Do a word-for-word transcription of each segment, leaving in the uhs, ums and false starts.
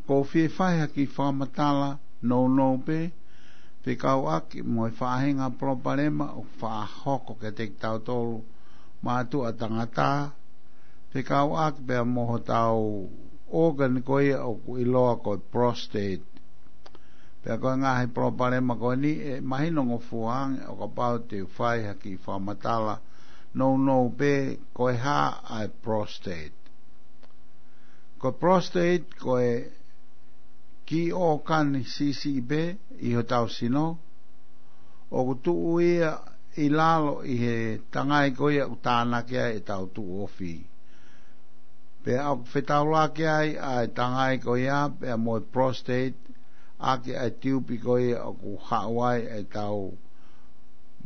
Ko e fie fai ha kiʻi fakamatala nounou pē, fekauʻaki mo e faʻahinga palopalema ʻoku faʻa hoko kiate kitautolu mātuʻa tangata, fekauʻaki pea mo hotau ʻōkani ko ia ʻoku ʻiloa ko e prostate. Pea ko e ngaahi palopalema ko eni ʻe mahino ngofua ange ʻo kapau te u fai ha kiʻi fakamatala nounou pē, ko e hā ʻa e prostate. Ko e prostate ko e kiʻi ʻōkani siʻisiʻi pē ʻi hotau sino, ʻoku tuʻu ia ʻi lalo ʻi he tangai ko ia ʻoku tānaki ai ʻetau tuʻu ofi. Pea ʻoku fetaulaki ai ʻa e tangai ko ia pea mo e prostate ʻaki ʻa e tiupi ko ia ʻoku haʻu ai ʻetau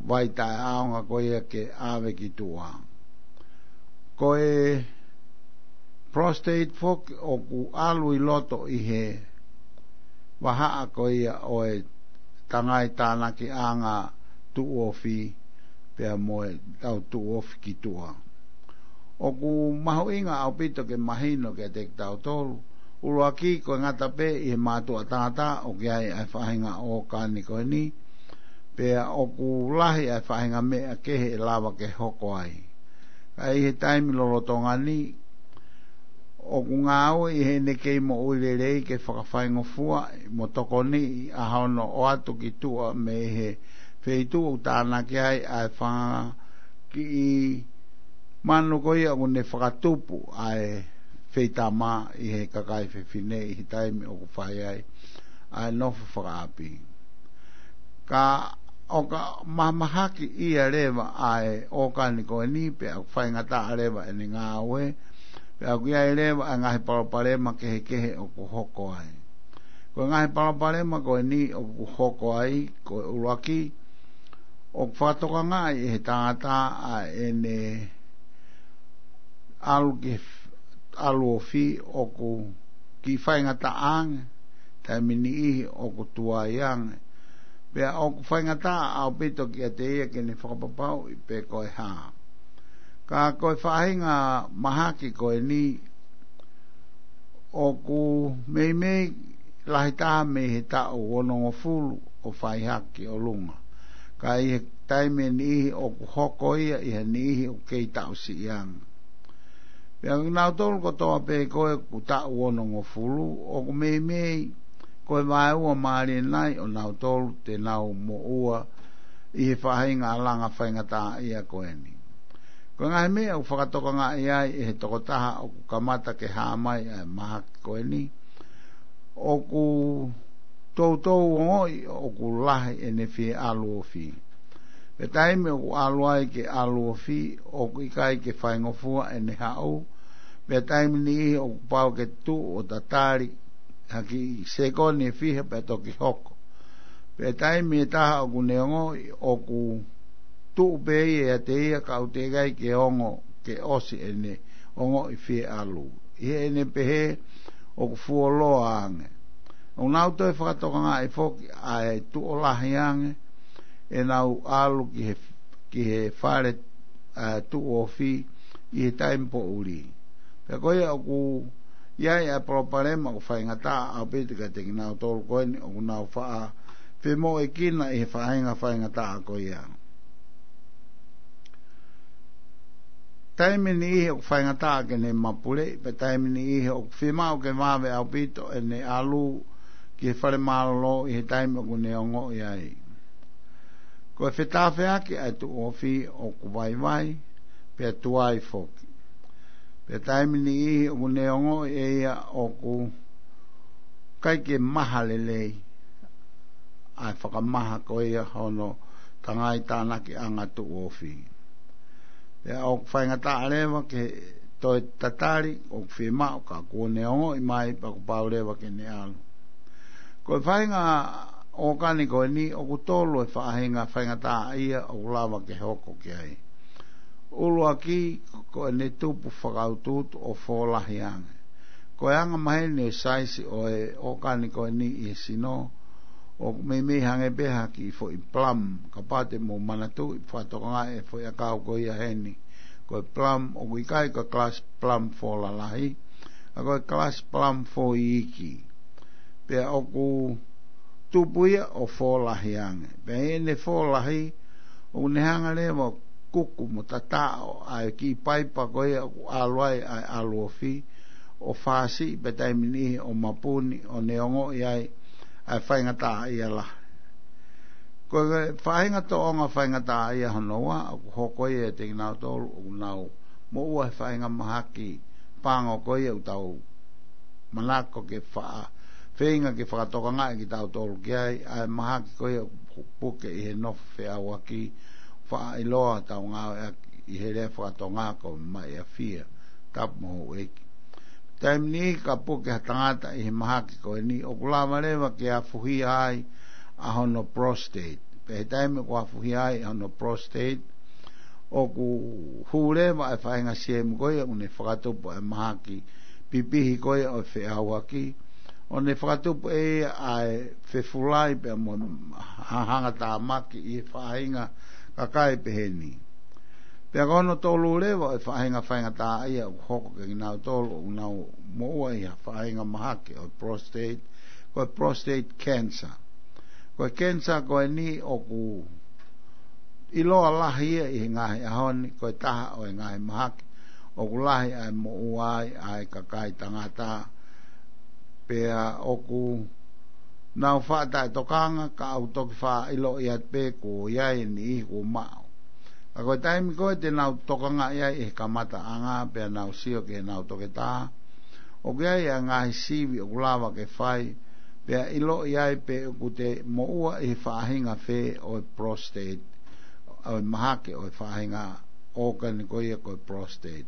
vai taʻeʻaonga ko ia ke ʻave ki tuʻa. Ko e prostate foki ʻoku ʻalu ʻi loto ʻi he vahaʻa ko ia ʻo e tangai tānakiʻanga tuʻu ofi pea mo ʻetau tuʻu ofi ki tuʻa. ʻOku mahuʻinga ʻaupito ke mahino kiate kitautolu, ʻuluaki ko e ngata pē ʻi he mātuʻa tangata ʻoku ʻi ai ʻa e faʻahinga ʻōkani ko eni, pea ʻoku lahi ʻa e faʻahinga meʻa kehe ʻe lava ke hoko ai. Ka ʻi he taimi lolotonga ni, ʻoku ngāue ʻi heʻene kei moʻui lelei ke fakafaingofua mo tokoniʻi ʻa hono ʻoatu ki tuʻa mei he feituʻu ʻoku tānaki ai ʻa e fanga kiʻi manu ko ia ʻoku ne fakatupu ʻa e feitama ʻi he kakai fefine ʻi he taimi ʻoku fai ai ʻa e nofo fakaʻapi. Ka ʻoka mahamahaki ia leva ʻa e ʻōkani ko eni, pea ʻoku faingataʻa leva ʻene ngāue, pea ʻoku ʻi ai leva ʻa e ngaahi palopalema kehekehe ʻoku hoko ai. Ko e ngaahi palopalema ko eni ʻoku hoko ai, ko e ʻuluaki, ʻoku fakatokangaʻi ʻe he tangata ʻa ʻene ʻalu ki he f-, ʻalu ofi ʻoku kiʻi faingataʻa ange, taimi niʻihi ʻoku tuai ange. Pea ʻoku faingataʻa ʻaupito kiate ia ke ne fakapapauʻi pe ko e hā. Ka ko e faʻahinga mahaki ko eni ʻoku meimei lahi taha mei he taʻu onongofulu ʻo fai hake ki ʻolunga. Ka ʻi he taimi ʻe niʻihi ʻoku hoko ia ʻi he niʻihi ʻoku kei taʻu siʻi ange. Pea kinautolu kotoa pē ko ē ʻoku taʻu onongofulu, ʻoku meimei ko e vaeua mālie nai ʻo nautolu te nau moʻua ʻi he faʻahinga langa faingataʻaʻia ko eni. Ko e ngaahi meʻa ʻoku fakatokangaʻi ai ʻe he tokotaha ʻoku kamata ke hā mai ʻa e mahaki ko eni, ʻoku toutou ongoʻi ʻoku lahi ʻene fie ʻalu ofi. Pea taimi ʻoku ʻalu ai ke ʻalu ofi, ʻoku ʻikai ke faingofua ʻene haʻu. Pea taimi niʻihi ʻoku pau ke tuʻu ʻo tatali ha kiʻi sekoni ʻe fiha pea toki hoko. Pea taimi ʻe taha ʻoku ne ongoʻi ʻoku tuʻu pē ia ʻiate ia, ka ʻoku teʻeki ai ke ongo ke ʻosi ʻene ongoʻi fie ʻalu. ʻI heʻene pehē ʻoku fuoloa ange. ʻOku nau toe fakatokangaʻi foki ʻa e tuʻo lahi ange ʻenau ʻalu ki he, ki he fale, ʻa, tuʻu ofi ʻi he taimi poʻuli. Pea ko ia ʻoku ʻi ai ʻa e palopalema ʻoku faingataʻa ʻaupito kiate kinautolu ko eni ʻoku nau faʻa femoʻuekina ʻi he faʻahinga faingataʻa ko ia. Taimi niʻihi ʻoku faingataʻa ke ne mapuleʻi, pea taimi niʻihi ʻoku fiemaʻu ke vave ʻaupito ʻene ʻalu ki he fale mālōlō ʻi he taimi ʻoku ne ongoʻi ai. Ko e fetāfeaki ʻa e tuʻu ofi ʻoku vaivai, pea tuai foki. Pea taimi niʻihi ʻoku ne ongoʻi ʻe ia ʻoku ʻikai ke maha lelei ʻa e fakamaha ko ia hono tangai tānakiʻanga tuʻu ofi. Pea ʻoku faingataʻa leva ke toe tatali, ʻoku fiemaʻu ka kuo ne ongoʻi mai pea kuo pau leva ke ne ʻalu. Ko e faʻahinga ʻōkani ko eni ʻoku tolu e faʻahinga faingataʻaʻia ʻoku lava ke hoko ki ai. ʻUluaki, ko ʻene tupu fakautuutu ʻo fōlahi ange. Ko e anga maheni ʻo e saisi ʻo e ʻōkani ko eni ʻi he sino, ʻoku meimei hangē pē ha kiʻi foʻi plum, kapau te mou manatuʻi, fakatokangaʻi e foʻi ʻakau ko ia heni. Ko e plum, ʻoku ʻikai ko e kalasi plum fō lalahi, ka ko e kalasi plum fō iiki. Pea ʻoku tupu ia ʻo fōlahi ange. Pea ʻi heʻene fōlahi, ʻoku ne hanga leva ʻo kuku mo tataʻo ʻa e kiʻi paipa ko ia ʻoku ʻalu ai ʻa e ʻalu ofi, ʻo fāsiʻi pē taimi niʻihi ʻo mapuni, ʻo ne ongoʻi ai ʻa e faingataʻaʻia lahi. Ko e faʻahinga tōʻonga faingataʻaʻia hono ua, ʻoku hoko ia ʻiate kinautolu ʻoku nau moʻua he faʻahinga mahaki pango ko ia ʻoku tau manako ke faʻa feinga ke fakatokangaʻi kitautolu ki ai, ʻa e mahaki ko ia ʻoku puke ʻi he nofo feʻauaki, faʻa ʻiloa tau ngāueʻaki ʻi he lea fakatonga ko e maʻiafia, tapu mo houʻeiki. Taimi niʻihi ka puke ha tangata ʻi he mahaki ko eni, ʻoku lava leva ke afuhia ai ʻa hono prostate. Pea he taimi ʻoku afuhia ai ʻa hono prostate, ʻoku hū leva ʻa e faʻahinga siemu ko ia ʻoku ne fakatupu ʻa e mahaki pipihi ko ia ʻo e feʻauaki, ʻo ne fakatupu ʻe ia ʻa e fefulai pea mo e hanga tāmaki ʻi he faʻahinga kakai peheni. Pea ko hono tolu leva ʻo e faʻahinga faingataʻaʻia ʻoku hoko kiate kinautolu ʻoku nau moʻua ʻi ha faʻahinga mahaki ʻo e prostate, ko e prostate cancer. Ko e cancer ko eni ʻoku ʻiloa lahi ia ʻi he ngaahi ʻaho ni, ko e taha ʻo e ngaahi mahaki ʻoku lahi ʻa e moʻua ai ʻa e kakai tangata, pea ʻoku nau faʻa taʻetokanga, ka ʻoku toki faʻa ʻiloʻi atu pē kuo ʻi ai e niʻihi kuo maʻu. Ka ko e taimi ko ē te nau tokangaʻi ai ʻi he kamataʻanga, pea nau sio ki heʻenau toketā, ʻoku ʻi ai ʻa e ngaahi sivi ʻoku lava ke fai, pea ʻiloʻi ai pe ʻoku te moʻua ʻi he faʻahinga fē ʻo e prostate, ʻo e mahaki ʻo e faʻahinga organ ko ia ko e prostate.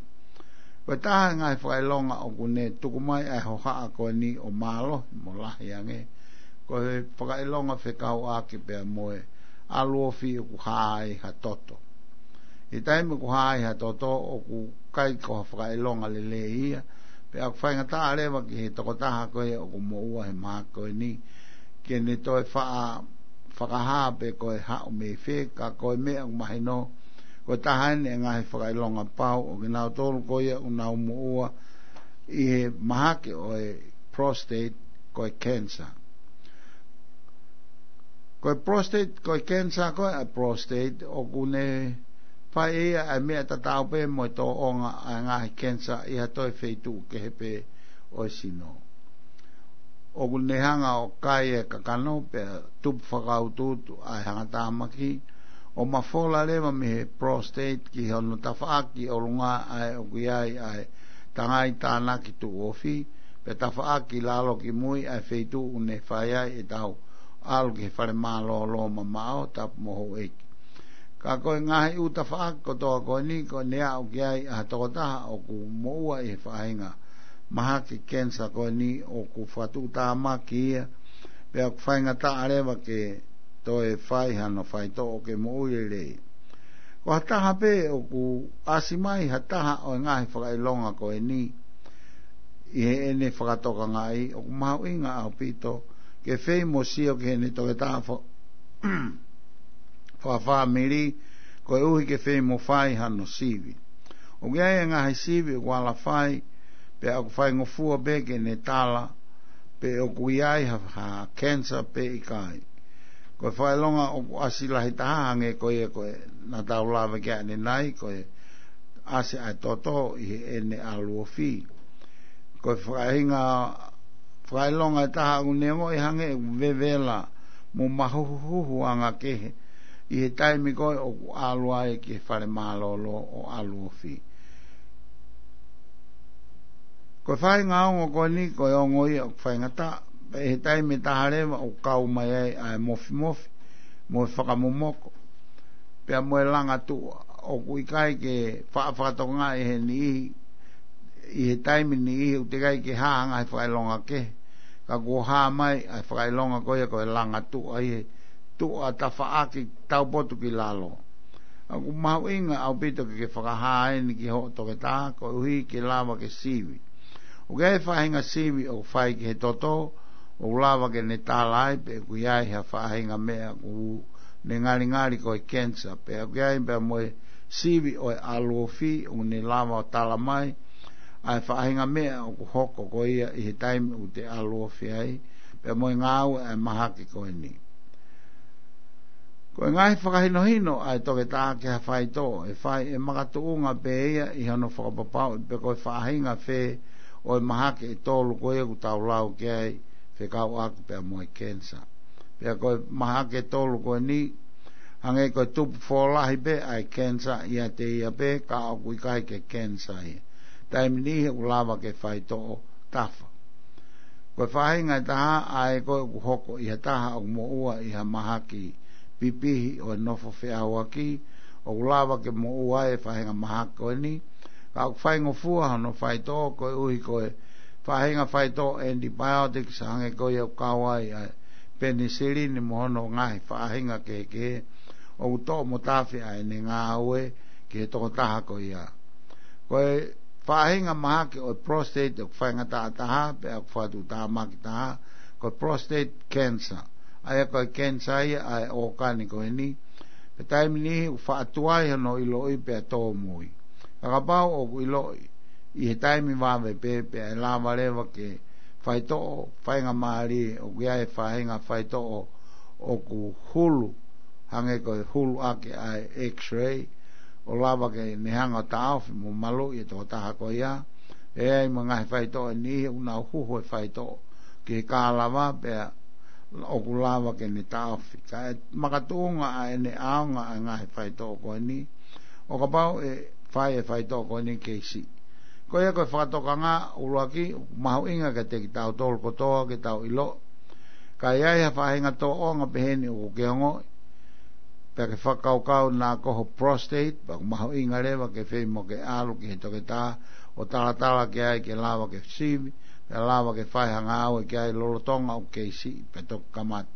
Ko e taha e ngaahi fakaʻilonga ʻoku ne tuku mai ʻa e hohaʻa ko eni ʻo mālohi mo lahi ange, ko e fakaʻilonga fekauʻaki pea mo e ʻalu ofi ʻoku hā ai ha toto. ʻI he taimi ʻoku hā ai ha toto, ʻoku ʻikai ko ha fakaʻilonga lelei ia, pea ʻoku faingataʻa leva ki he tokotaha ko ia ʻoku moʻua he mahaki ko eni ke ne toe faʻa fakahā pe ko e haʻu mei fē, ka ko e meʻa ʻoku mahino, ko e taha eni e ngaahi fakaʻilonga pau ʻo kinautolu ko ia ʻoku nau moʻua ʻi he mahaki ʻo e prostate, ko e cancer. Ko e prostate, ko e cancer ko ē ʻa e prostate, ʻoku ne fai ʻe ia ʻa e meʻa tatau pē mo e tōʻonga ʻa e ngaahi cancer ʻi ha toe feituʻu kehe pē ʻo e sino. ʻOku ne hanga ʻo kai e kakano pea tupu fakautuutu ʻa e hangatāmaki, ʻo mafola leva mei he prostate ki hono tafaʻaki ʻolunga ʻa ē ʻoku ʻi ai ʻa e tangai tānaki tuʻu ofi, pea tafaʻaki lalo ki mui ʻa e feituʻu ʻoku ne fai ai ʻetau ʻalu ki he fale mālōlō mamaʻo, tapu mo houʻeiki. Ka ko e ngaahi ʻū tafaʻaki kotoa ko eni, ko ʻene aʻu ki ai ʻa e tokotaha ʻoku moʻua ʻi he faʻahinga mahaki cancer ko eni, ʻoku fakatuʻutāmaki ia, pea ʻoku faingataʻa leva ke toe fai hano faitoʻo ke moʻui lelei. Ko ha taha pē ʻoku ʻasi mai ha taha ʻo e ngaahi fakaʻilonga ko eni ʻi heʻene fakatokangaʻi, ʻoku mahuʻinga ʻaupito ke fai mo sio ki heʻene toketā fa-, fakafāmili, koeʻuhi ke fai mo fai hano sivi. ʻOku ʻi ai e ngaahi sivi ʻoku ala fai, pea ʻoku faingofua pē ke ne tala pe ʻoku ʻi ai ha, ha cancer pe ʻikai. Ko e fakaʻilonga ʻoku ʻasi lahi taha hangē ko ia ko ē naʻa tau lave ki ai ʻanenai, ko e ʻasi ʻa e toto ʻi heʻene ʻalu ofi. Ko e faʻahinga fakaʻilonga ʻe taha ʻoku ne ongoʻi hangē ʻoku vevela mo mahuhuhu anga kehe ʻi he taimi ko ē ʻoku ʻalu ai ki he fale mālōlō ʻo ʻalu ofi. Ko e faʻahinga ongo ko eni, ko e ongo ia ʻoku faingataʻa, pea ʻi he taimi ʻe taha leva ʻoku kau mai ai ʻa e mofimofi mo e fakamomoko, pea mo e langa tuʻa. ʻOku ʻikai ke faʻa fakatokangaʻi ʻe he niʻihi, ʻi he taimi niʻihi ʻoku teʻeki ai ke hā ha ngaahi fakaʻilonga kehe, ka kuo hā mai ʻa e fakaʻilonga ko ia ko e langa tuʻa ʻi he tuʻa tafaʻaki taupotu ki lalo. ʻOku mahuʻinga ʻaupito ke ke fakahā eni ki hoʻo toketā koeʻuhi ke lava ke sivi. ʻOku ʻi ai e faʻahinga sivi ʻoku fai ki he toto, ʻoku lava ke ne tala ai pe ʻoku ʻi ai ha faʻahinga meʻa ʻoku ne ngalingali ko e cancer, pea ʻoku ʻi ai pea mo e sivi ʻo e ʻalu ofi ʻoku ne lava ʻo tala mai ʻa e faʻahinga meʻa ʻoku hoko ko ia ʻi he taimi ʻoku te ʻalu ofi ai, pea mo e ngāue ʻa e mahaki ko eni. Ko e ngaahi fakahinohino ʻa e toketā ki ha faitoʻo ʻe fai ʻe makatuʻunga pē ia ʻi hono fakapapauʻi pe ko e faʻahinga fē ʻo e mahaki ʻe tolu ko ia ʻoku tau lau ki ai fekauʻaki pea mo e cancer. Pea ko e mahaki ʻe tolu ko eni, hangē ko e tupu fōlahi pē ʻa e cancer ʻiate ia pē ka ʻoku ʻikai ke cancer ia. Taimi niʻihi ʻoku lava ke faitoʻo tafa. Ko e faʻahinga ʻe taha ʻa ē ko ē ʻoku hoko ʻi ha taha ʻoku moʻua ʻi ha mahaki pipihi ʻo e nofo feʻauaki, ʻoku lava ke moʻua e faʻahinga mahaki ko eni, ka ʻoku faingofua hono faitoʻo koeʻuhi ko e faʻahinga faitoʻo antibiotics hangē ko ia ʻoku kau ai ʻa e penisilini mo hono ngaahi faʻahinga kehekehe ʻoku toʻo mo tafe ʻa ʻene ngāue ki he tokotaha ko ia. Ko e faʻahinga mahaki ʻo e prostate ʻoku faingataʻa taha, pea ʻoku fakatuʻutāmaki taha, ko e prostate cancer. ʻA ia ko e cancer ia ʻa e ʻōkani ko eni, pea taimi niʻihi ʻoku faʻa tuai hono ʻiloʻi pea tōmui. Ka kapau ʻoku ʻiloʻi ʻi he taimi vave pē, pea ʻe lava leva ke faitoʻo faingamālie, ʻoku ʻi ai e faʻahinga faitoʻo ʻoku hulu, hangē ko e hulu ʻaki ʻa e X-ray, ʻo lava ke ne hanga ʻo taʻofi mo maluʻi e tokotaha ko ia. ʻE ʻi ai mo e ngaahi faitoʻo ʻe niʻihi ʻoku nau huhu e faitoʻo ki he kālava pea ʻoku lava ke ne taʻofi. Ka ʻe makatuʻunga ʻa ʻene ʻaonga ʻa e ngaahi faitoʻo ko eni ʻo kapau ʻe fai e faitoʻo ko eni kei siʻi. Ko ia ko e fakatokanga ʻuluaki, ʻoku mahuʻinga kiate kitautolu kotoa ke tau ʻilo. Ka ʻi ai ha faʻahinga tōʻonga peheni ʻoku ke ongoʻi, pea ke fakakaukau naʻa ko ho prostate, pea ʻoku mahuʻinga leva ke fai mo ke ʻalu ki he toketā ʻo talatala ki ai ke lava ke sivi, pea lava ke fai ha ngāue ki ai lolotonga ʻoku kei siʻi, pea toki kamata.